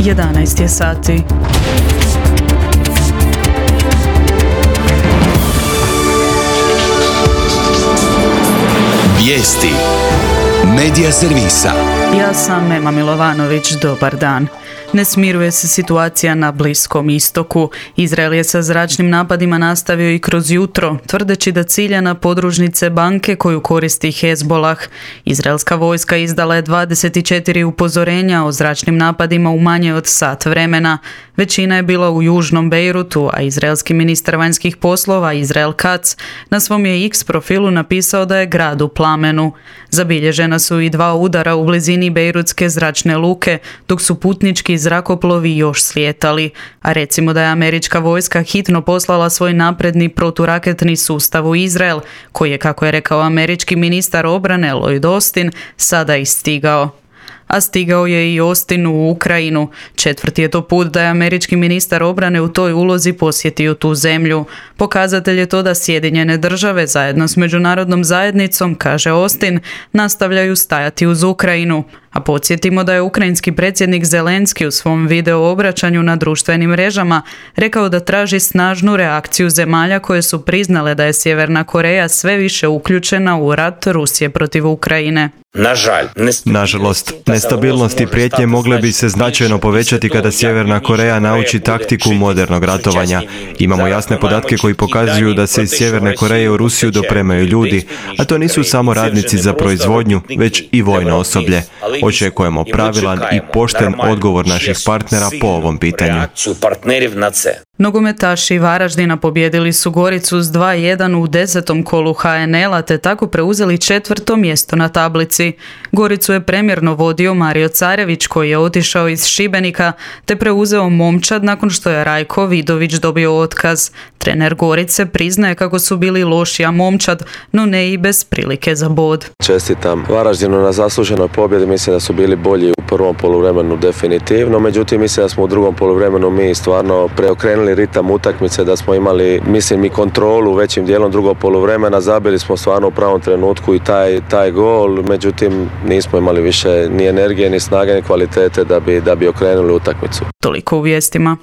11 je sati. Vijesti Medija servisa. Ja sam Ema Milovanović, dobar dan. Ne smiruje se situacija na Bliskom istoku. Izrael je sa zračnim napadima nastavio i kroz jutro, tvrdeći da cilja na podružnice banke koju koristi Hezbolah. Izraelska vojska izdala je 24 upozorenja o zračnim napadima u manje od sat vremena. Većina je bila u južnom Bejrutu, a izraelski ministar vanjskih poslova Israel Katz na svom je X profilu napisao da je grad u plamenu. Zabilježena su i 2 udara u blizini Bejrutske zračne luke, dok su putnički zrakoplovi još slijetali. A recimo da je američka vojska hitno poslala svoj napredni proturaketni sustav u Izrael, koji je, kako je rekao američki ministar obrane Lloyd Austin, sada i stigao. A stigao je i Austin u Ukrajinu. 4. je to put da je američki ministar obrane u toj ulozi posjetio tu zemlju. Pokazatelj je to da Sjedinjene države zajedno s međunarodnom zajednicom, kaže Austin, nastavljaju stajati uz Ukrajinu. A podsjetimo da je ukrajinski predsjednik Zelenski u svom video obraćanju na društvenim mrežama rekao da traži snažnu reakciju zemalja koje su priznale da je Sjeverna Koreja sve više uključena u rat Rusije protiv Ukrajine. Nažalost, nestabilnost i prijetnje mogle bi se značajno povećati kada Sjeverna Koreja nauči taktiku modernog ratovanja. Imamo jasne podatke koji pokazuju da se iz Sjeverne Koreje u Rusiju dopremaju ljudi, a to nisu samo radnici za proizvodnju, već i vojno osoblje. Očekujemo pravilan i pošten odgovor naših partnera po ovom pitanju. Nogometaši Varaždina pobijedili su Goricu s 2:1 u 10. kolu HNL-a te tako preuzeli 4. mjesto na tablici. Goricu je premjerno vodio Mario Carević koji je otišao iz Šibenika te preuzeo Momčad nakon što je Rajko Vidović dobio otkaz. Trener Gorice priznaje kako su bili loši, a Momčad, no ne i bez prilike za bod. Čestitam Varaždinu na zasluženoj pobjedi, mislim da su bili bolji u prvom poluvremenu definitivno, međutim mislim da smo u drugom poluvremenu mi stvarno preokrenuli ritam utakmice, da smo imali, mislim, i kontrolu većim dijelom drugog poluvremena, zabili smo stvarno u pravom trenutku i taj gol, međutim nismo imali više ni energije, ni snage, ni kvalitete da bi okrenuli utakmicu. Toliko u vijestima.